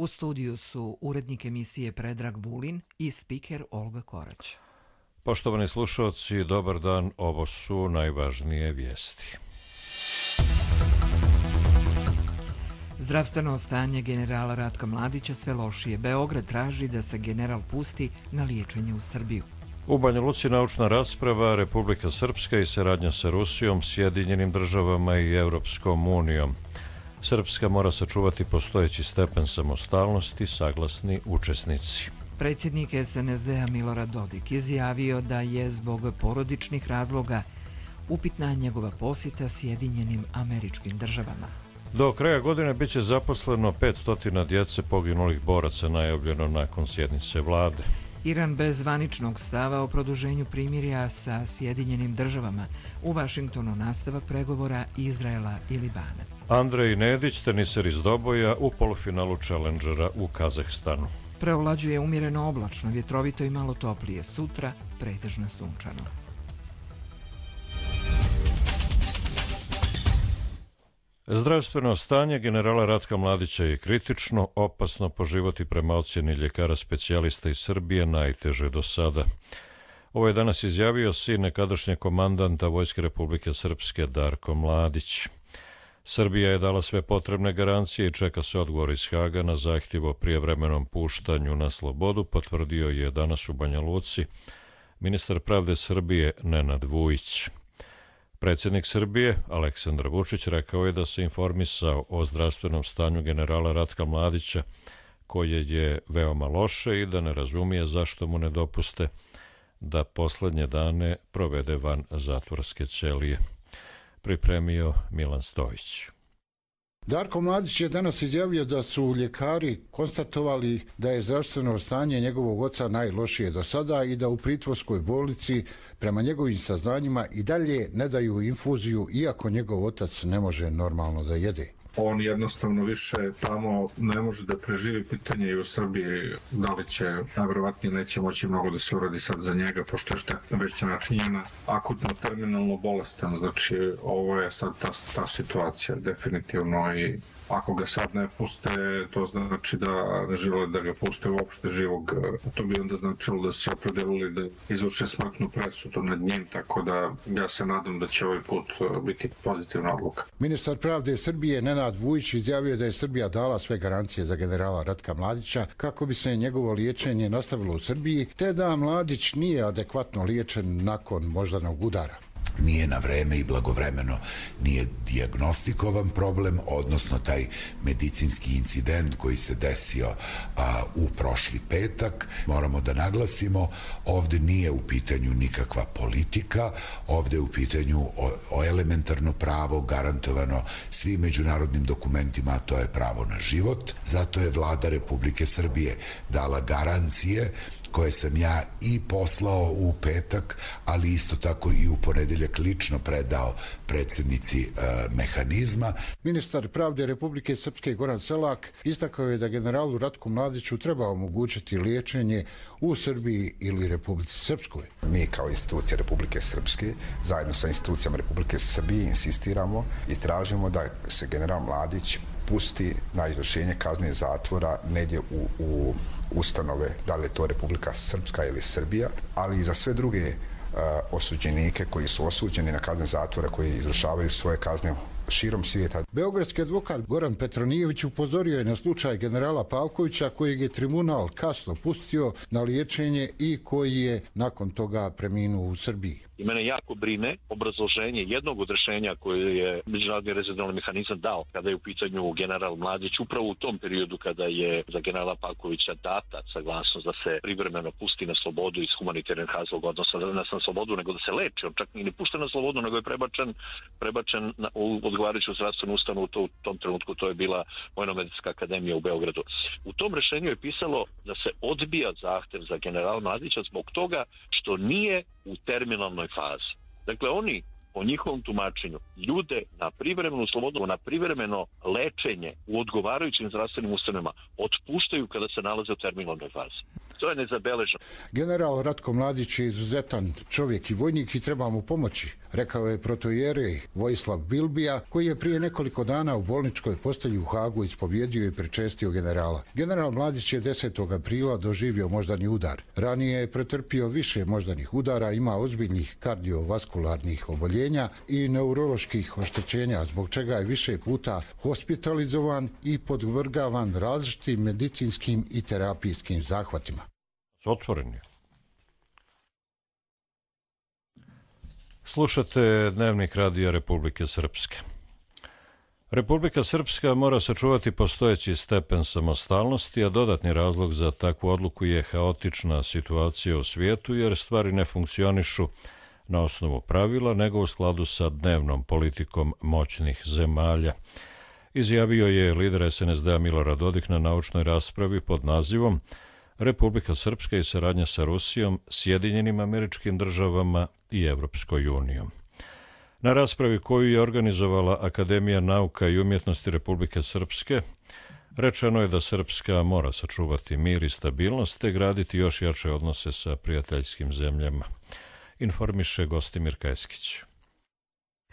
U studiju su urednik emisije Predrag Vulin i spiker Olga Korać. Poštovani slušalci, dobar dan, ovo su najvažnije vijesti. Zdravstveno stanje generala Ratka Mladića sve lošije. Beograd traži da se general pusti na liječenje u Srbiju. U Banja Luci naučna rasprava, Republika Srpska i saradnja sa Rusijom, Sjedinjenim državama i Europskom unijom. Srpska mora sačuvati postojeći stepen samostalnosti, saglasni učesnici. Predsjednik SNSD-a Milorad Dodik izjavio da je zbog porodičnih razloga upitna njegova posjeta Sjedinjenim Američkim Državama. Do kraja godine bit će zaposleno 500 djece poginulih boraca, najavljeno nakon sjednice vlade. Iran bez zvaničnog stava o produženju primirja sa Sjedinjenim Državama. U Vašingtonu nastavak pregovora Izraela i Libana. Andrej Nedić, teniser iz Doboja, u polufinalu Challengera u Kazahstanu. Preovlađuje umjereno oblačno, vjetrovito i malo toplije. Sutra pretežno sunčano. Zdravstveno stanje generala Ratka Mladića je kritično, opasno po život i prema ocjeni ljekara specijalista iz Srbije najteže do sada. Ovo je danas izjavio sin nekadašnjeg komandanta Vojske Republike Srpske Darko Mladić. Srbija je dala sve potrebne garancije i čeka se odgovor iz Haga na zahtjev o prijevremenom puštanju na slobodu, potvrdio je danas u Banja Luci ministar pravde Srbije Nenad Vujić. Predsjednik Srbije, Aleksandar Vučić, rekao je da se informisao o zdravstvenom stanju generala Ratka Mladića, koje je veoma loše i da ne razumije zašto mu ne dopuste da posljednje dane provede van zatvorske ćelije. Pripremio Milan Stojić. Darko Mladić je danas izjavio da su ljekari konstatovali da je zdravstveno stanje njegovog oca najlošije do sada i da u pritvorskoj bolnici prema njegovim saznanjima i dalje ne daju infuziju, iako njegov otac ne može normalno da jede. On jednostavno više tamo ne može da preživi. Pitanje i u Srbiji da li će, najvjerovatnije neće moći mnogo da se uradi sad za njega, pošto je štetna već načinjena, akutno terminalno bolestan. Znači ovo je sad ta situacija definitivno i ako ga sad ne puste, to znači da ne žele da ga puste uopšte živog. To bi onda značilo da se opredelili da izvrše smrtnu presudu nad njim, tako da ja se nadam da će ovaj put biti pozitivna odluka. Ministar pravde Srbije Nenad Vujić izjavio da je Srbija dala sve garancije za generala Ratka Mladića kako bi se njegovo liječenje nastavilo u Srbiji, te da Mladić nije adekvatno liječen nakon moždanog udara. Nije na vreme i blagovremeno nije dijagnostikovan problem, odnosno taj medicinski incident koji se desio u prošli petak. Moramo da naglasimo, ovdje nije u pitanju nikakva politika, ovdje je u pitanju elementarno pravo garantovano svim međunarodnim dokumentima, a to je pravo na život. Zato je vlada Republike Srbije dala garancije koje sam ja i poslao u petak, ali isto tako i u ponedeljak lično predao predsjednici mehanizma. Ministar pravde Republike Srpske Goran Selak istakao je da generalu Ratku Mladiću treba omogućiti liječenje u Srbiji ili Republici Srpskoj. Mi kao institucija Republike Srpske zajedno sa institucijama Republike Srbije insistiramo i tražimo da se general Mladić pusti na izvršenje kazne zatvora negdje u ustanove, da li je to Republika Srpska ili Srbija, ali i za sve druge osuđenike koji su osuđeni na kazne zatvora, koji izvršavaju svoje kazne širom svijeta. Beogradski advokat Goran Petronijević upozorio je na slučaj generala Pavkovića, kojeg je tribunal kasno pustio na liječenje i koji je nakon toga preminuo u Srbiji. I mene jako brine obrazloženje jednog od rješenja koje je Međunarodni rezervni mehanizam dao kada je u pitanju general Mladić, upravo u tom periodu kada je za generala Pavkovića data saglasnost da se privremeno pusti na slobodu iz humanitarnih razloga, odnosno da ne na slobodu, nego da se leči. On čak i ne pušten na slobodu, nego je prebačen u odgovarajuću zdravstvenu ustanovu. U tom trenutku to je bila Vojno-medicinska akademija u Beogradu. U tom rješenju je pisalo da se odbija zahtev za generala Mladića zbog toga što nije u terminalnoj fazi. Dakle, oni po njihovom tumačenju ljude na privremenu slobodu, na privremeno lečenje u odgovarajućim zdravstvenim ustanovama otpuštaju kada se nalaze u terminalnoj fazi. To je nezabeleženo. General Ratko Mladić je izuzetan čovjek i vojnik i treba mu pomoći, rekao je protoijerej Vojislav Bilbija, koji je prije nekoliko dana u bolničkoj postelji u Hagu ispovjedio i prečestio generala. General Mladić je 10. aprila doživio moždani udar. Ranije je pretrpio više moždanih udara, ima ozbiljnih kardiovaskularnih oboljenja i neuroloških oštećenja, zbog čega je više puta hospitalizovan i podvrgavan različitim medicinskim i terapijskim zahvatima. Otvoreni. Slušate Dnevnik Radija Republike Srpske. Republika Srpska mora sačuvati postojeći stepen samostalnosti, a dodatni razlog za takvu odluku je haotična situacija u svijetu, jer stvari ne funkcionišu na osnovu pravila, nego u skladu sa dnevnom politikom moćnih zemalja. Izjavio je lider SNSD-a Milorad Dodik na naučnoj raspravi pod nazivom Republika Srpska i saradnja sa Rusijom, Sjedinjenim Američkim Državama i Evropskoj unijom. Na raspravi koju je organizovala Akademija nauka i umjetnosti Republike Srpske, rečeno je da Srpska mora sačuvati mir i stabilnost te graditi još jače odnose sa prijateljskim zemljama, informiše Gostimir Kajskić.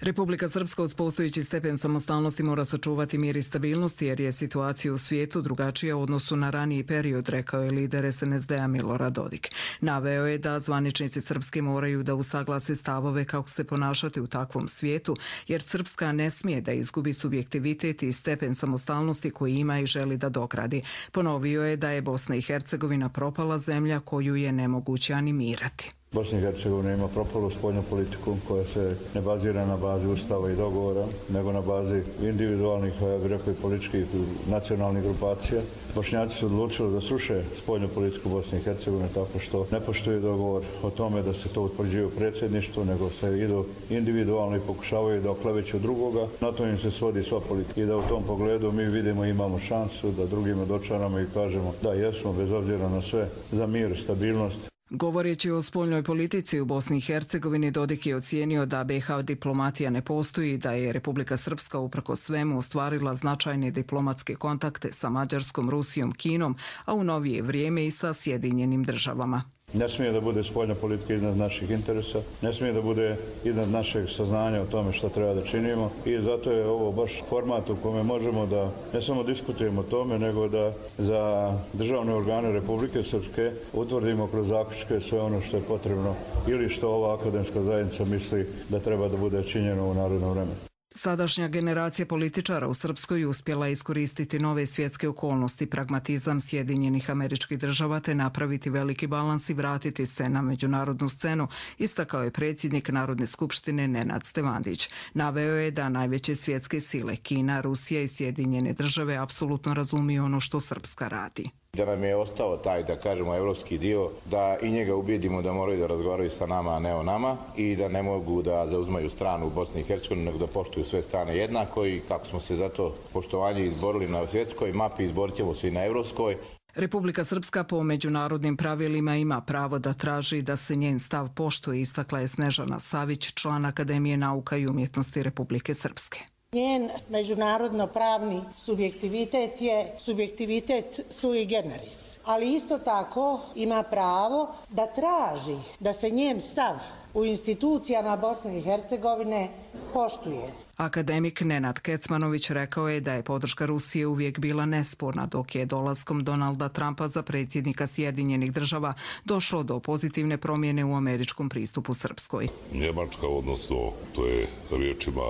Republika Srpska uz postojeći stepen samostalnosti mora sačuvati mir i stabilnost jer je situacija u svijetu drugačija u odnosu na raniji period, rekao je lider SNSD-a Milorad Dodik. Naveo je da zvaničnici Srpske moraju da usaglase stavove kako se ponašati u takvom svijetu, jer Srpska ne smije da izgubi subjektivitet i stepen samostalnosti koji ima i želi da dogradi. Ponovio je da je Bosna i Hercegovina propala zemlja koju je nemoguće animirati. Bosna i Hercegovina ima propalu spoljnu politiku koja se ne bazira na bazi ustava i dogovora, nego na bazi individualnih, ja bih rekao, i političkih nacionalnih grupacija. Bošnjaci su odlučili da sruše spoljnu politiku Bosne i Hercegovine tako što ne poštuju dogovor o tome da se to utvrđuje u predsjedništvu, nego se idu individualno i pokušavaju da okleveću drugoga. Na to im se svodi sva politika. I da u tom pogledu mi vidimo, imamo šansu da drugima dočaramo i kažemo da jesmo, bez obzira na sve, za mir, stabilnost. Govoreći o spoljnoj politici u Bosni i Hercegovini, Dodik je ocijenio da BiH diplomatija ne postoji, da je Republika Srpska uprkos svemu ostvarila značajne diplomatske kontakte sa Mađarskom, Rusijom, Kinom, a u novije vrijeme i sa Sjedinjenim Državama. Ne smije da bude spoljna politika iznad naših interesa, ne smije da bude iznad našeg saznanja o tome što treba da činimo i zato je ovo baš format u kome možemo da ne samo diskutujemo o tome, nego da za državne organe Republike Srpske utvrdimo kroz zaključke sve ono što je potrebno ili što ova akademska zajednica misli da treba da bude činjeno u narednom vremenu. Sadašnja generacija političara u Srpskoj uspjela iskoristiti nove svjetske okolnosti, pragmatizam Sjedinjenih Američkih Država te napraviti veliki balans i vratiti se na međunarodnu scenu, istakao je predsjednik Narodne skupštine Nenad Stevandić. Naveo je da najveće svjetske sile Kina, Rusija i Sjedinjene Države apsolutno razumiju ono što Srpska radi. Da nam je ostao taj, da kažemo, evropski dio, da i njega ubijedimo da moraju da razgovaraju sa nama, a ne o nama i da ne mogu da zauzmaju stranu u Bosni i Hercegovini, nego da poštuju sve strane jednako i kako smo se za to poštovanje izborili na svjetskoj mapi, izborit ćemo se i na evropskoj. Republika Srpska po međunarodnim pravilima ima pravo da traži da se njen stav poštuje, istakla je Snežana Savić, član Akademije nauka i umjetnosti Republike Srpske. Njen međunarodno-pravni subjektivitet je subjektivitet sui generis, ali isto tako ima pravo da traži da se njen stav u institucijama Bosne i Hercegovine poštuje. Akademik Nenad Kecmanović rekao je da je podrška Rusije uvijek bila nesporna, dok je dolaskom Donalda Trumpa za predsjednika Sjedinjenih Država došlo do pozitivne promjene u američkom pristupu Srpskoj. Njemačka, odnosno, to je riječima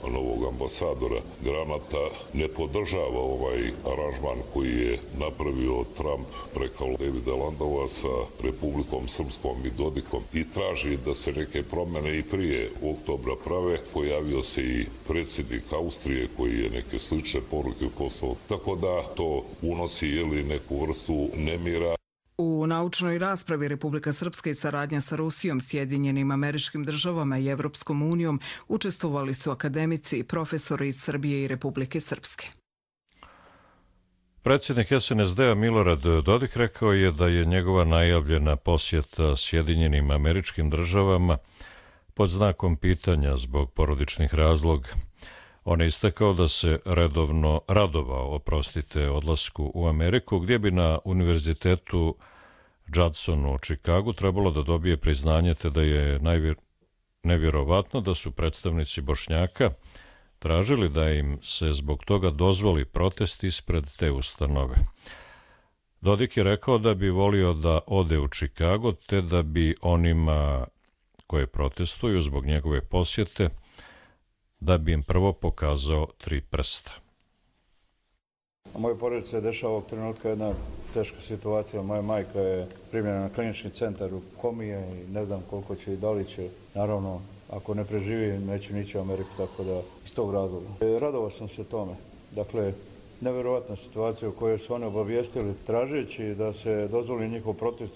novog ambasadora Granata, ne podržava ovaj aranžman koji je napravio Trump preko Davida Landova sa Republikom Srpskom i Dodikom i traži da se neke promjene i prije oktobra prave. Pojavio se i predsjednik Austrije koji je neke slične poruke poslao, tako da to unosi neku vrstu nemira. U naučnoj raspravi Republika Srpska i saradnja sa Rusijom, Sjedinjenim Američkim Državama i Evropskom unijom učestvovali su akademici i profesori iz Srbije i Republike Srpske. Predsjednik SNSD-a Milorad Dodik rekao je da je njegova najavljena posjeta Sjedinjenim Američkim Državama pod znakom pitanja zbog porodičnih razloga. On je istakao da se radovao odlasku u Ameriku, gdje bi na univerzitetu Judson u Čikagu trebalo da dobije priznanje, te da je nevjerovatno da su predstavnici Bošnjaka tražili da im se zbog toga dozvoli protest ispred te ustanove. Dodik je rekao da bi volio da ode u Čikago, te da bi onima koje protestuju zbog njegove posjete, da bi im prvo pokazao 3 prsta. U mojoj porodici se dešava ovog trenutka jedna teška situacija. Moja majka je primljena na klinički centar u Komije i ne znam koliko će i da li će. Naravno, ako ne preživi, neće nići u Ameriku, tako da iz tog razloga. Radovao sam se tome. Dakle, nevjerovatna situacija u kojoj su oni obavijestili tražeći da se dozvoli njihov protest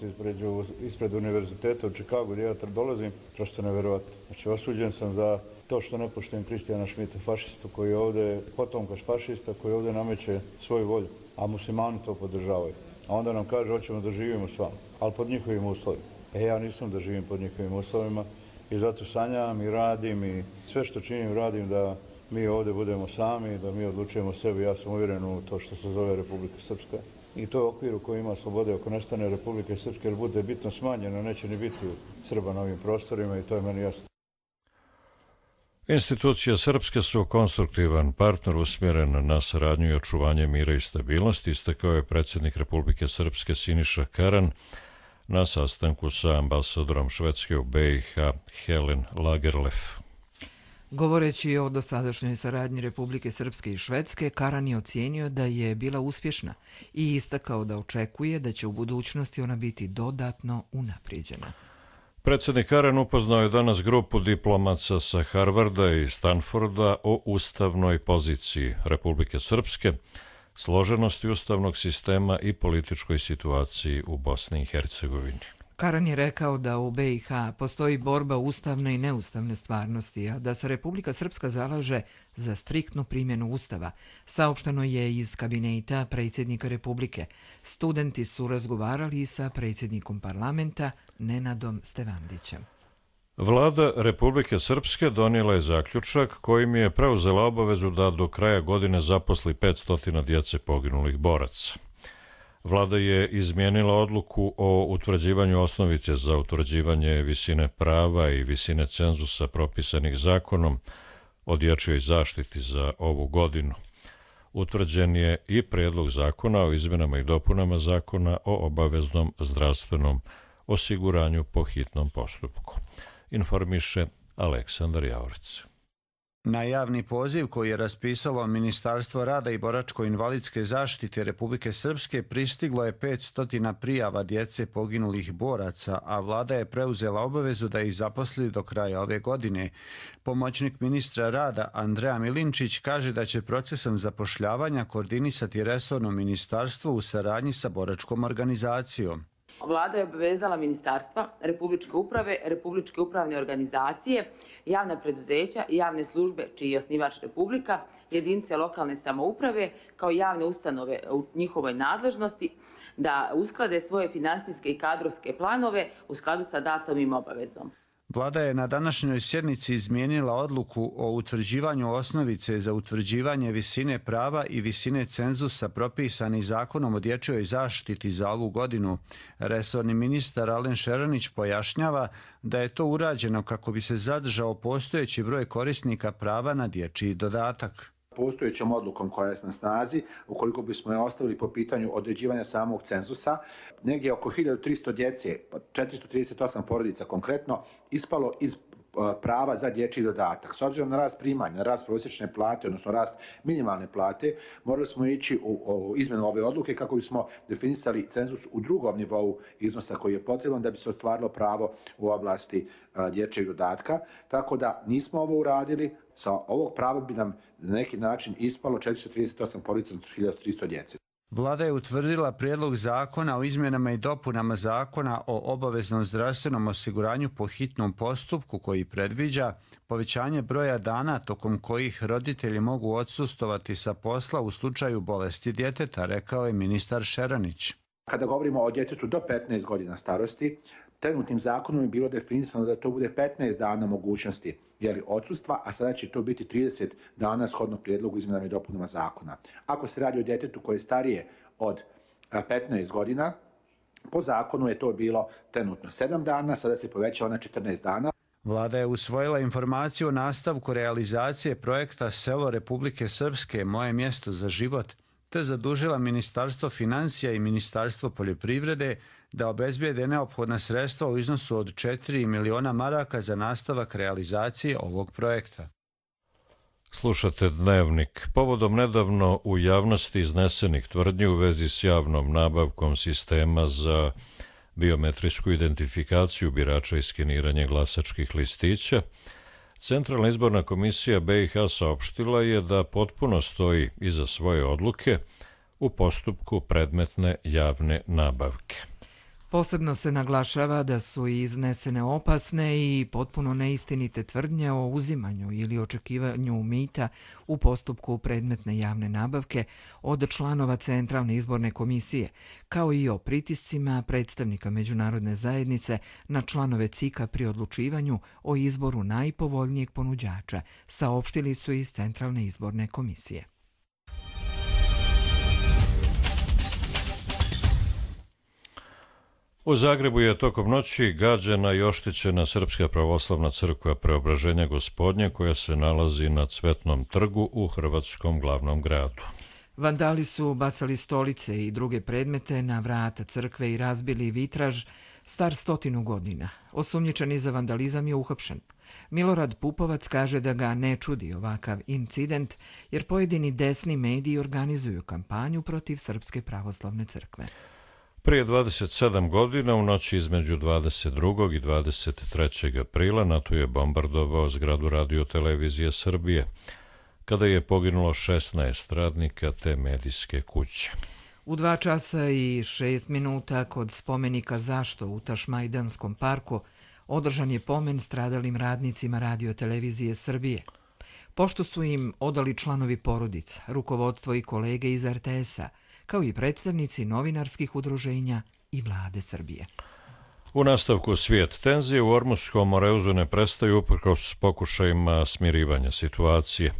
ispred univerziteta u Čikagu gdje ja dolazim, prosto nevjerovatno. Znači, osuđen sam za to što ne poštujem Kristijana Šmita, fašistu koji je ovdje, potomka fašista koji ovdje nameće svoju volju, a muslimani to podržavaju. A onda nam kaže, hoćemo da živimo s vama, ali pod njihovim uslovima. Ja nisam da živim pod njihovim uslovima i zato sanjam i radim i sve što činim radim da mi ovdje budemo sami, da mi odlučujemo sebi. Ja sam uvjeren u to što se zove Republika Srpska. I to je okvir u koji ima slobode. Ako nestane Republike Srpske, jer bude bitno smanjeno, neće ni biti Srba na ovim prostorima i to je meni jasno. Institucije Srpske su konstruktivan partner usmjeren na saradnju i očuvanje mira i stabilnosti, istakao je predsjednik Republike Srpske Siniša Karan na sastanku sa ambasadorom Švedske u BiH Helen Lagerlöf. Govoreći o dosadašnjoj saradnji Republike Srpske i Švedske, Karan je ocijenio da je bila uspješna i istakao da očekuje da će u budućnosti ona biti dodatno unaprijeđena. Predsjednik Karan upoznao je danas grupu diplomaca sa Harvarda i Stanforda o ustavnoj poziciji Republike Srpske, složenosti ustavnog sistema i političkoj situaciji u Bosni i Hercegovini. Karan je rekao da u BiH postoji borba ustavne i neustavne stvarnosti, a da se Republika Srpska zalaže za striktnu primjenu Ustava. Saopšteno je iz kabineta predsjednika Republike. Studenti su razgovarali i sa predsjednikom parlamenta Nenadom Stevandićem. Vlada Republike Srpske donijela je zaključak kojim je preuzela obavezu da do kraja godine zaposli 500 djece poginulih boraca. Vlada je izmijenila odluku o utvrđivanju osnovice za utvrđivanje visine prava i visine cenzusa propisanih zakonom o dječjoj zaštiti za ovu godinu. Utvrđen je i prijedlog zakona o izmjenama i dopunama zakona o obaveznom zdravstvenom osiguranju po hitnom postupku. Informiše Aleksandar Javorić. Na javni poziv koji je raspisalo Ministarstvo rada i boračko-invalidske zaštite Republike Srpske pristiglo je 500 prijava djece poginulih boraca, a vlada je preuzela obavezu da ih zaposli do kraja ove godine. Pomoćnik ministra rada Andreja Milinčić kaže da će procesom zapošljavanja koordinisati resorno ministarstvo u saradnji sa boračkom organizacijom. Vlada je obavezala ministarstva, republičke uprave, republičke upravne organizacije, javna preduzeća i javne službe čiji je osnivač Republika, jedinice lokalne samouprave kao javne ustanove u njihovoj nadležnosti da usklade svoje finansijske i kadrovske planove u skladu sa datom im obavezom. Vlada je na današnjoj sjednici izmijenila odluku o utvrđivanju osnovice za utvrđivanje visine prava i visine cenzusa propisani zakonom o dječjoj zaštiti za ovu godinu. Resorni ministar Alen Šeranić pojašnjava da je to urađeno kako bi se zadržao postojeći broj korisnika prava na dječji dodatak. Postojećom odlukom koja je na snazi, ukoliko bismo je ostavili po pitanju određivanja samog cenzusa, negdje oko 1300 djece, 438 porodica konkretno, ispalo iz prava za dječji dodatak. S obzirom na rast primanja, na rast prosječne plate, odnosno rast minimalne plate, morali smo ići u izmjenu ove odluke kako bismo definisali cenzus u drugom nivou iznosa koji je potreban da bi se ostvarilo pravo u oblasti dječjeg dodatka. Tako da nismo ovo uradili, sa ovog prava bi nam na neki način ispalo 438 porodica od 1300 djece. Vlada je utvrdila prijedlog zakona o izmjenama i dopunama zakona o obaveznom zdravstvenom osiguranju po hitnom postupku koji predviđa povećanje broja dana tokom kojih roditelji mogu odsustovati sa posla u slučaju bolesti djeteta, rekao je ministar Šeranić. Kada govorimo o djetetu do 15 godina starosti, trenutnim zakonom je bilo definisano da to bude 15 dana mogućnosti odsustva, a sada će to biti 30 dana shodno prijedlogu izmjenama i dopunama zakona. Ako se radi o djetetu koje je starije od 15 godina, Po zakonu je to bilo trenutno 7 dana, sada se povećava na 14 dana. Vlada je usvojila informaciju o nastavku realizacije projekta Selo Republike Srpske, Moje mjesto za život, te zadužila Ministarstvo financija i Ministarstvo poljoprivrede da obezbijede neophodna sredstva u iznosu od 4 miliona maraka za nastavak realizacije ovog projekta. Slušate Dnevnik. Povodom nedavno u javnosti iznesenih tvrdnji u vezi s javnom nabavkom sistema za biometrijsku identifikaciju birača i skeniranje glasačkih listića, Centralna izborna komisija BiH saopštila je da potpuno stoji iza svoje odluke u postupku predmetne javne nabavke. Posebno se naglašava da su iznesene opasne i potpuno neistinite tvrdnje o uzimanju ili očekivanju mita u postupku predmetne javne nabavke od članova Centralne izborne komisije, kao i o pritiscima predstavnika međunarodne zajednice na članove CIK-a pri odlučivanju o izboru najpovoljnijeg ponuđača, saopštili su iz Centralne izborne komisije. U Zagrebu je tokom noći gađana i oštećena Srpska pravoslavna crkva Preobraženja Gospodnje koja se nalazi na Cvetnom trgu u hrvatskom glavnom gradu. Vandali su bacali stolice i druge predmete na vrata crkve i razbili vitraž star 100 godina. Osumnjičeni za vandalizam je uhapšen. Milorad Pupovac kaže da ga ne čudi ovakav incident jer pojedini desni mediji organizuju kampanju protiv Srpske pravoslavne crkve. Prije 27 godina, u noći između 22. i 23. aprila, NATO je bombardovao zgradu Radio-televizije Srbije, kada je poginulo 16 radnika te medijske kuće. U 2 časa i 6 minuta kod spomenika Zašto u Tašmajdanskom parku održan je pomen stradalim radnicima Radio-televizije Srbije. Pošto su im odali članovi porodica, rukovodstvo i kolege iz RTS-a, kao i predstavnici novinarskih udruženja i vlade Srbije. U nastavku svijet tenzije u Ormuskom Moreuzu ne prestaju uprkos pokušajima smirivanja situacije.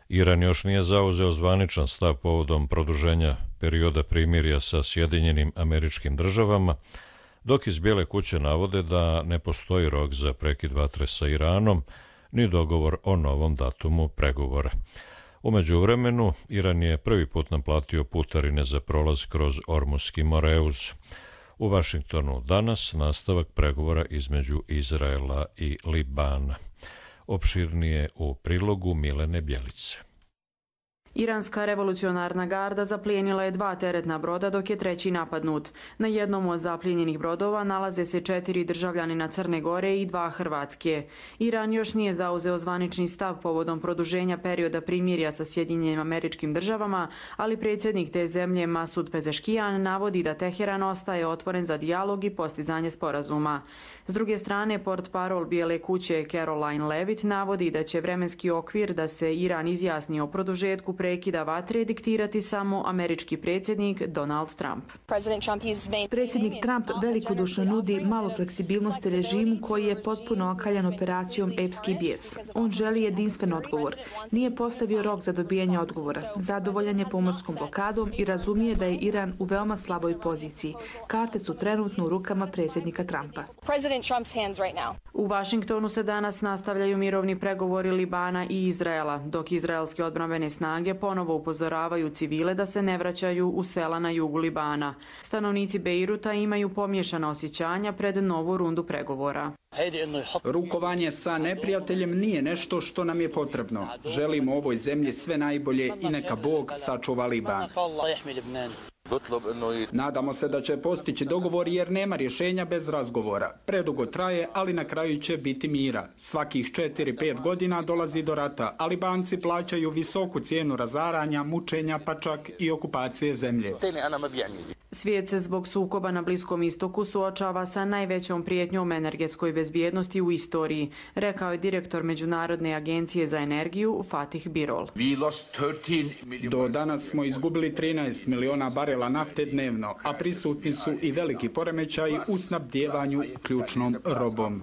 Iran još nije zauzeo zvaničan stav povodom produženja perioda primirja sa Sjedinjenim Američkim Državama, dok iz Bijele kuće navode da ne postoji rok za prekid vatre sa Iranom, ni dogovor o novom datumu pregovora. U međuvremenu, Iran je prvi put naplatio putarine za prolaz kroz Ormuski Moreuz. U Vašingtonu danas nastavak pregovora između Izraela i Libana. Opširnije u prilogu Milene Bjelice. Iranska revolucionarna garda zaplijenila je 2 teretna broda dok je 3. napadnut. Na jednom od zaplijenjenih brodova nalaze se 4 državljanina Crne Gore i 2 Hrvatske. Iran još nije zauzeo zvanični stav povodom produženja perioda primirja sa Sjedinjenim Američkim Državama, ali predsjednik te zemlje Masud Pezeškijan navodi da Teheran ostaje otvoren za dijalog i postizanje sporazuma. S druge strane, portparol Bijele kuće Caroline Levitt navodi da će vremenski okvir da se Iran izjasni o produžetku prekida vatre diktirati samo američki predsjednik Donald Trump. Predsjednik Trump velikodušno nudi malo fleksibilnosti režimu koji je potpuno okaljan operacijom Epski bijes. On želi jedinstven odgovor. Nije postavio rok za dobijanje odgovora. Zadovoljan je pomorskom blokadom i razumije da je Iran u veoma slaboj poziciji. Karte su trenutno u rukama predsjednika Trumpa. U Vašingtonu se danas nastavljaju mirovni pregovori Libana i Izraela, dok izraelske odbrambene snage ponovo upozoravaju civile da se ne vraćaju u sela na jugu Libana. Stanovnici Bejruta imaju pomiješana osjećanja pred novu rundu pregovora. Rukovanje sa neprijateljem nije nešto što nam je potrebno. Želimo ovoj zemlji sve najbolje i neka Bog sačuva Liban. Nadamo se da će postići dogovor jer nema rješenja bez razgovora. Predugo traje, ali na kraju će biti mira. Svakih 4-5 godina dolazi do rata, a Libanci plaćaju visoku cijenu razaranja, mučenja, pa čak i okupacije zemlje. Svijet se zbog sukoba na Bliskom istoku suočava sa najvećom prijetnjom energetskoj bezbjednosti u istoriji, rekao je direktor Međunarodne agencije za energiju Fatih Birol. Do danas smo izgubili 13 miliona barela barela nafte dnevno, a prisutni su i veliki poremećaji u snabdjevanju ključnom robom.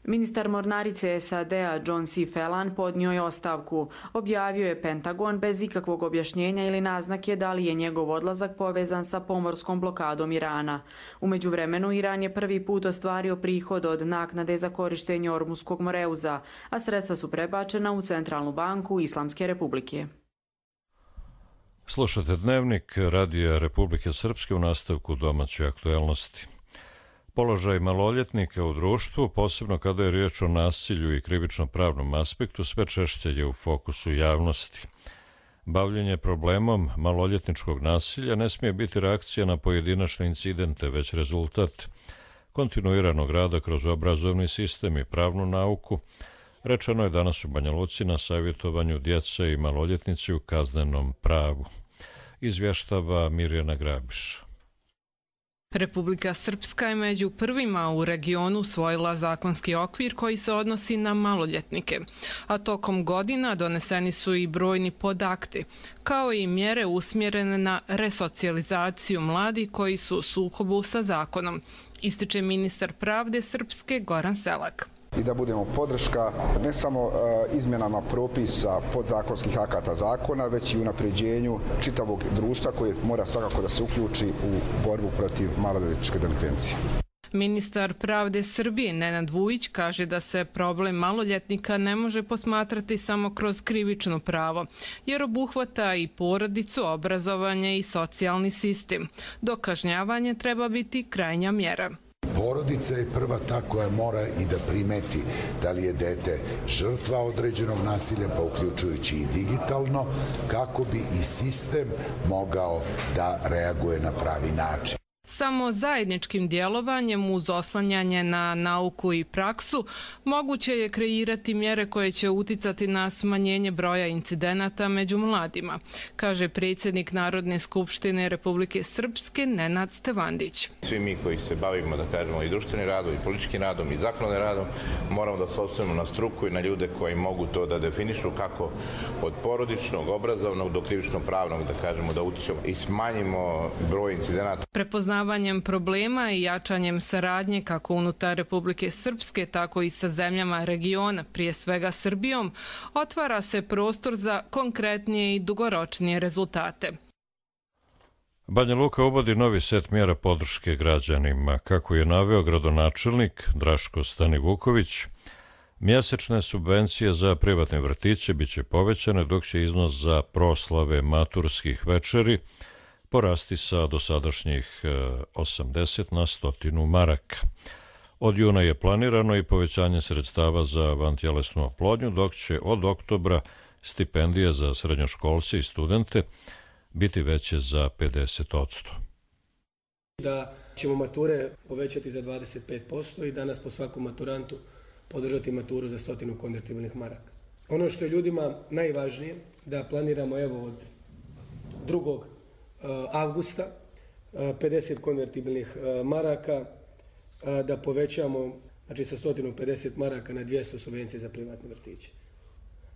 Ministar mornarice SAD-a John C. Phelan podnio je ostavku. Objavio je Pentagon bez ikakvog objašnjenja ili naznake da li je njegov odlazak povezan sa pomorskom blokadom Irana. U međuvremenu, Iran je prvi put ostvario prihod od naknade za korištenje Ormuskog moreuza, a sredstva su prebačena u Centralnu banku Islamske republike. Slušate Dnevnik Radija Republike Srpske u nastavku domaće aktuelnosti. Položaj maloljetnika u društvu, posebno kada je riječ o nasilju i krivično-pravnom aspektu, sve češće je u fokusu javnosti. Bavljenje problemom maloljetničkog nasilja ne smije biti reakcija na pojedinačne incidente, već rezultat kontinuiranog rada kroz obrazovni sistem i pravnu nauku, rečeno je danas u Banja Luci na savjetovanju djece i maloljetnici u kaznenom pravu. Izvještava Mirjana Grabiš. Republika Srpska je među prvima u regionu usvojila zakonski okvir koji se odnosi na maloljetnike, a tokom godina doneseni su i brojni podakti, kao i mjere usmjerene na resocijalizaciju mladih koji su u sukobu sa zakonom, ističe ministar pravde Srpske Goran Selak. I da budemo podrška ne samo izmjenama propisa podzakonskih akata zakona, već i unapređenju čitavog društva koje mora svakako da se uključi u borbu protiv maloljetničke delikvencije. Ministar pravde Srbije Nenad Vujić kaže da se problem maloljetnika ne može posmatrati samo kroz krivično pravo, jer obuhvata i porodicu, obrazovanje i socijalni sistem. Dok kažnjavanje treba biti krajnja mjera. Porodica je prva ta koja mora i da primeti da li je dete žrtva određenog nasilja, pa uključujući i digitalno, kako bi i sistem mogao da reaguje na pravi način. Samo zajedničkim djelovanjem uz oslanjanje na nauku i praksu moguće je kreirati mjere koje će uticati na smanjenje broja incidenata među mladima, kaže predsjednik Narodne skupštine Republike Srpske Nenad Stevandić. Svi mi koji se bavimo, da kažemo, i društvenim radom, i političkim radom, i zakonodavnim radom, moramo da se oslonimo na struku i na ljude koji mogu to da definišu kako od porodičnog, obrazovnog do krivično-pravnog, da kažemo, da utičemo i smanjimo broj incidenata. Prepoznavanjem problema i jačanjem saradnje kako unutar Republike Srpske, tako i sa zemljama regiona, prije svega Srbijom, otvara se prostor za konkretnije i dugoročnije rezultate. Banja Luka uvodi novi set mjera podrške građanima. Kako je naveo gradonačelnik Draško Stanivuković, mjesečne subvencije za privatne vrtiće biće povećane, dok će iznos za proslave maturskih večeri porasti sa dosadašnjih 80 na 100 maraka. Od juna je planirano i povećanje sredstava za vantjelesnu oplodnju, dok će od oktobra stipendije za srednjoškolce i studente biti veće za 50%. Da ćemo mature povećati za 25% i danas po svakom maturantu podržati maturu za 100 konvertibilnih maraka. Ono što je ljudima najvažnije, da planiramo evo od 2. avgusta 50 konvertibilnih maraka, da povećamo znači sa 150 maraka na 200 subvencije za privatne vrtiće.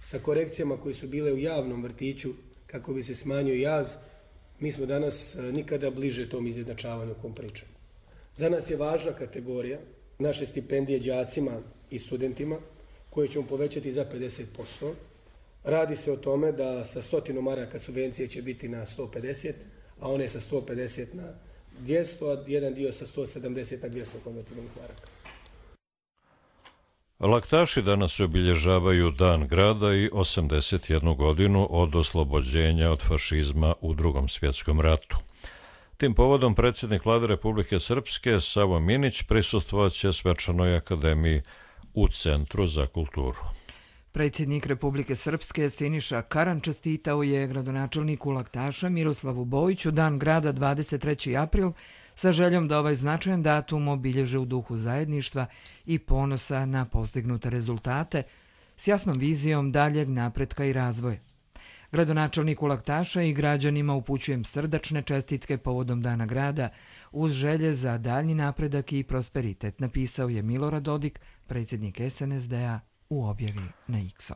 Sa korekcijama koje su bile u javnom vrtiću kako bi se smanjio jaz, mi smo danas nikada bliže tom izjednačavanju kom pričamo. Za nas je važna kategorija naše stipendije đacima i studentima koje ćemo povećati za 50%. Radi se o tome da sa 100 maraka subvencije će biti na 150, a one sa 150 na 200, a jedan dio sa 170 na 200 konvertibilnih maraka. Laktaši danas obilježavaju Dan grada i 81 godinu od oslobođenja od fašizma u Drugom svjetskom ratu. Tim povodom predsjednik Vlade Republike Srpske Savo Minić prisustvovat će svečanoj akademiji u Centru za kulturu. Predsjednik Republike Srpske Siniša Karan čestitao je gradonačelniku Laktaša Miroslavu Bojiću Dan grada 23. april sa željom da ovaj značajan datum obilježe u duhu zajedništva i ponosa na postignute rezultate s jasnom vizijom daljeg napretka i razvoja. Gradonačelniku Laktaša i građanima upućujem srdačne čestitke povodom Dana grada uz želje za daljnji napredak i prosperitet, napisao je Milorad Dodik, predsjednik SNSD-a u objavi na X-u.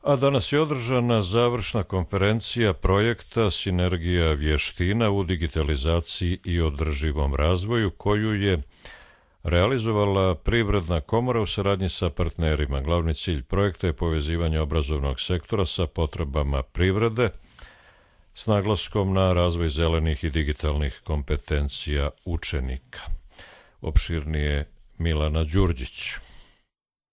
A danas je održana završna konferencija projekta Sinergija vještina u digitalizaciji i održivom razvoju, koju je realizovala Privredna komora u saradnji sa partnerima. Glavni cilj projekta je povezivanje obrazovnog sektora sa potrebama privrede s naglaskom na razvoj zelenih i digitalnih kompetencija učenika. Opširnije Milana Đurđić.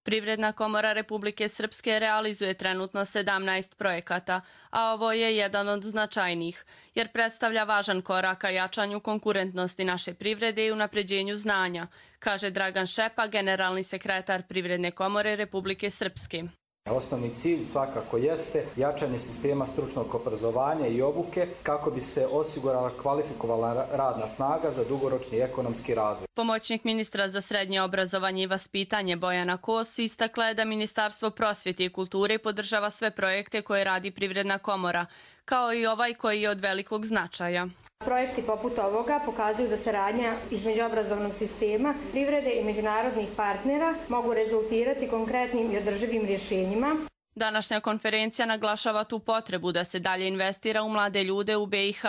Privredna komora Republike Srpske realizuje trenutno 17 projekata, a ovo je jedan od značajnijih, jer predstavlja važan korak ka jačanju konkurentnosti naše privrede i unapređenju znanja, kaže Dragan Šepa, generalni sekretar Privredne komore Republike Srpske. Osnovni cilj svakako jeste jačanje sistema stručnog obrazovanja i obuke kako bi se osigurala kvalifikovala radna snaga za dugoročni ekonomski razvoj. Pomoćnik ministra za srednje obrazovanje i vaspitanje Bojana Kos istakla je da Ministarstvo prosvjete i kulture podržava sve projekte koje radi Privredna komora, kao i ovaj koji je od velikog značaja. Projekti poput ovoga pokazuju da saradnja između obrazovnog sistema, privrede i međunarodnih partnera mogu rezultirati konkretnim i održivim rješenjima. Današnja konferencija naglašava tu potrebu da se dalje investira u mlade ljude u BiH,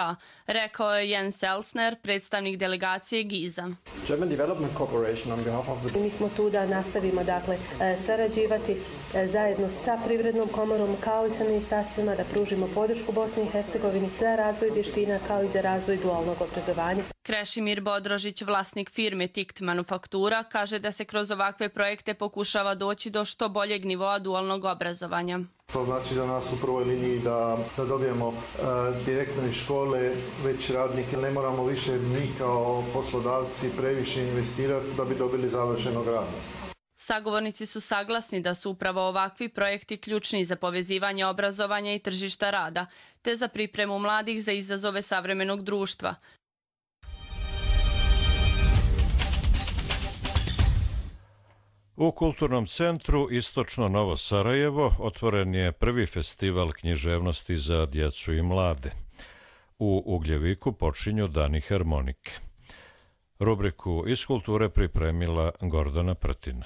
rekao je Jens Elsner, predstavnik delegacije GIZ-a. Mi smo tu da nastavimo sarađivati zajedno sa Privrednom komorom kao i sa ministarstvima, da pružimo podršku Bosni i Hercegovini za razvoj vještina kao i za razvoj dualnog obrazovanja. Krešimir Bodrožić, vlasnik firme Tikt Manufaktura, kaže da se kroz ovakve projekte pokušava doći do što boljeg nivoa dualnog obrazovanja. To znači za nas u prvoj liniji da dobijemo direktno iz škole već radnike. Ne moramo više mi kao poslodavci previše investirati da bi dobili završenog radnika. Sagovornici su saglasni da su upravo ovakvi projekti ključni za povezivanje obrazovanja i tržišta rada, te za pripremu mladih za izazove savremenog društva. U Kulturnom centru Istočno Novo Sarajevo otvoren je prvi festival književnosti za djecu i mlade. U Ugljeviku počinju Dani harmonike. Rubriku iz kulture pripremila Gordana Prtina.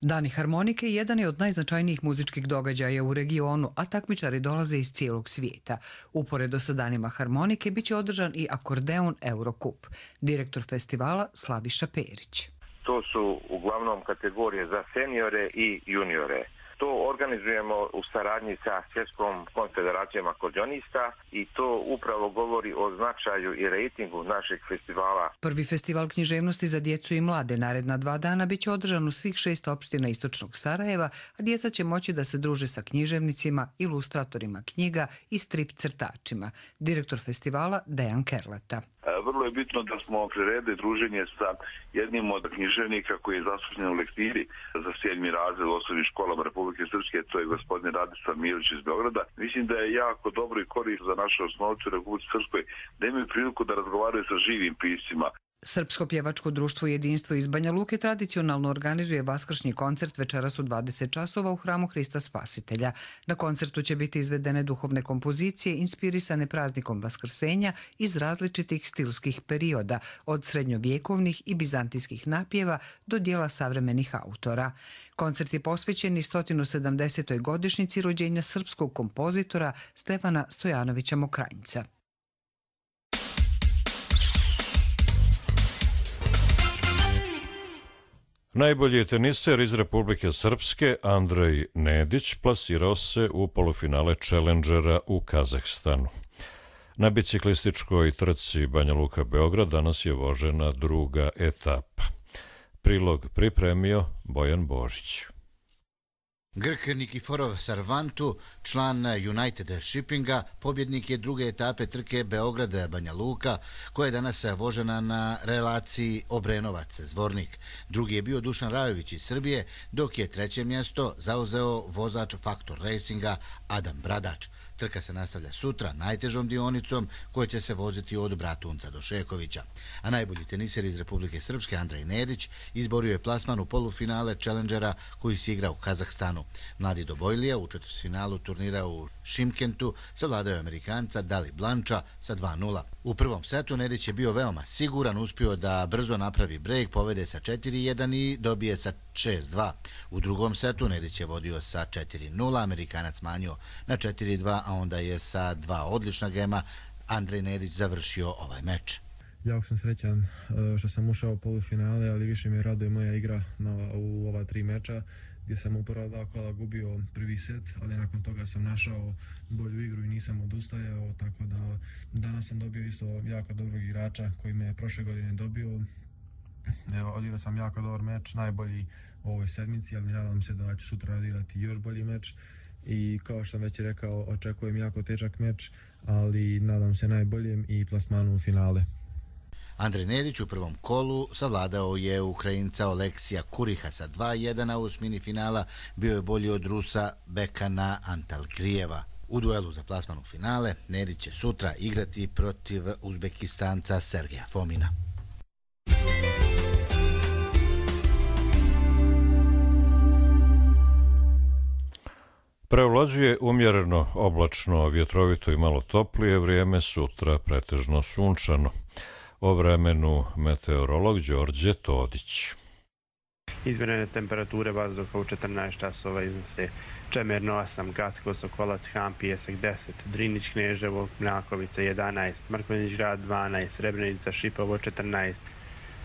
Dani harmonike jedan je od najznačajnijih muzičkih događaja u regionu, a takmičari dolaze iz cijelog svijeta. Uporedo sa Danima harmonike biće održan i akordeon Eurocup. Direktor festivala Slaviša Perić. To su uglavnom kategorije za seniore i juniore. To organizujemo u saradnji sa Svjetskom konfederacijom akordionista i to upravo govori o značaju i rejtingu našeg festivala. Prvi festival književnosti za djecu i mlade naredna 2 dana biće održan u svih 6 opština Istočnog Sarajeva, a djeca će moći da se druže sa književnicima, ilustratorima knjiga i strip crtačima. Direktor festivala Dejan Kerleta. Vrlo je bitno da smo priredili druženje sa jednim od književnika koji je zaslužen u lektiri za 7. razred u osnovnim školama Republike Srpske, to je gospodin Radislav Mirović iz Beograda. Mislim da je jako dobro i korisno za naše osnovce u Republike Srpskoj da imaju priliku da razgovaraju sa živim piscima. Srpsko pjevačko društvo Jedinstvo iz Banja Luke tradicionalno organizuje vaskršnji koncert večeras u 20 časova u hramu Hrista Spasitelja. Na koncertu će biti izvedene duhovne kompozicije inspirisane praznikom Vaskrsenja iz različitih stilskih perioda, od srednjovjekovnih i bizantijskih napjeva do dijela savremenih autora. Koncert je posvećen i 170. godišnjici rođenja srpskog kompozitora Stefana Stojanovića Mokranjca. Najbolji teniser iz Republike Srpske, Andrej Nedić, plasirao se u polufinale Challengera u Kazahstanu. Na biciklističkoj trci Banja Luka-Beograd danas je vožena druga etapa. Prilog pripremio Bojan Božić. Grk Nikiforov Sarvantu, član United Shippinga, pobjednik je druge etape trke Beograd-Banja Luka, koja je danas vožena na relaciji Obrenovac-Zvornik. Drugi je bio Dušan Rajović iz Srbije, dok je treće mjesto zauzeo vozač Faktor Racinga Adam Bradač. Trka se nastavlja sutra najtežom dionicom koja će se voziti od Bratunca do Šekovića. A najbolji teniser iz Republike Srpske, Andrej Nedić, izborio je plasman u polufinale Challengera koji se igra u Kazahstanu. Mladi Dobojlija u četvrtfinalu turnira u Šimkentu savladao Amerikanca Dali Blanča sa 2:0. U prvom setu Nedić je bio veoma siguran, uspio da brzo napravi brejk, povede sa 4-1 i dobije sa 6-2. U drugom setu Nedić je vodio sa 4-0, Amerikanac smanjio na 4-2, a onda je sa 2 odlična gema Andrej Nedić završio ovaj meč. Jako sam srećan što sam ušao u polufinale, ali više mi raduje moja igra u ova 3 meča, gdje sam u prva 2 kola gubio prvi set, ali nakon toga sam našao bolju igru i nisam odustajao, tako da danas sam dobio isto jako dobrog igrača koji me je prošle godine dobio. Evo, odigrao sam jako dobar meč, najbolji u ovoj sedmici, ali nadam se da ću sutra odigrati još bolji meč i kao što sam već rekao, očekujem jako težak meč, ali nadam se najboljem i plasmanu u finale. Andrej Nedić u prvom kolu savladao je Ukrajinca Oleksija Kuriha sa 2-1, a u osmini finala bio je bolji od Rusa Bekana Antalgrijeva. U duelu za plasman u finale Nedić će sutra igrati protiv Uzbekistanca Sergeja Fomina. Prevlađuje umjereno, oblačno, vjetrovito i malo toplije vrijeme, sutra pretežno sunčano. O vremenu meteorolog Đorđe Todić. Izmjerene temperature vazduha u 14 časova iznose Čemerno 8, Gacko, Sokolac, Han, Pijesak 10, Drinić, Kneževo, Mljakovica 11, Mrkonjić grad 12, Srebrenica, Šipovo 14,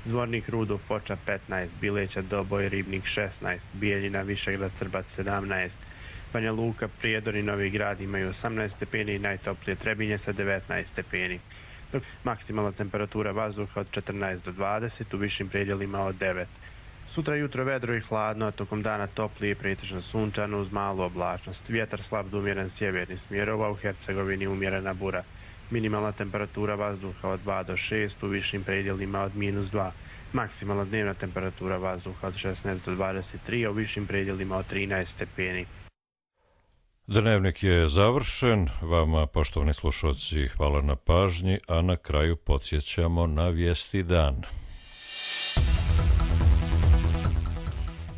Zvornik, Rudov, Foča 15, Bileća, Doboj, Ribnik 16, Bijeljina, Višegrad, Srbac 17, Banja Luka, Prijedor i Novi Grad imaju 18 stepeni i najtoplije Trebinje sa 19 stepeni. Maksimalna temperatura vazduha od 14 do 20, u višim predjelima od 9. Sutra jutro vedro i hladno, a tokom dana toplije i pretežno sunčano uz malu oblačnost. Vjetar slab do umjeren sjeverni smjerova, u Hercegovini umjerena bura. Minimalna temperatura vazduha od 2 do 6, u višim predjelima od -2. Maksimalna dnevna temperatura vazduha od 16 do 23, a u višim predjelima od 13 stepeni. Dnevnik je završen. Vama, poštovani slušalci, hvala na pažnji, a na kraju podsjećamo na vijesti dan.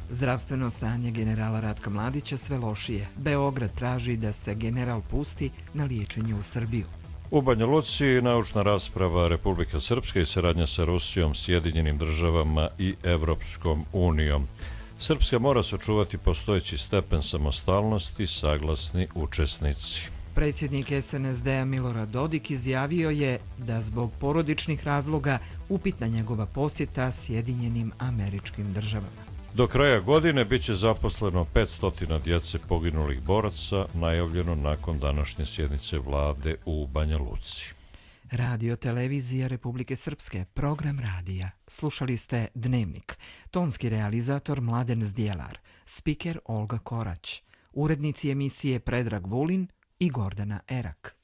Zdravstveno stanje generala Ratka Mladića sve lošije. Beograd traži da se general pusti na liječenje u Srbiju. U Banja Luci naučna rasprava Republika Srpska i saradnja sa Rusijom, Sjedinjenim državama i Evropskom unijom. Srpska mora sačuvati postojeći stepen samostalnosti, saglasni učesnici. Predsjednik SNSD-a Milorad Dodik izjavio je da zbog porodičnih razloga upitna njegova posjeta Sjedinjenim Američkim Državama. Do kraja godine bit će zaposleno 500 djece poginulih boraca, najavljeno nakon današnje sjednice vlade u Banja Luci. Radio televizija Republike Srpske, program radija. Slušali ste Dnevnik. Tonski realizator Mladen Zdjelar, spiker Olga Korać, urednici emisije Predrag Vulin i Gordana Erak.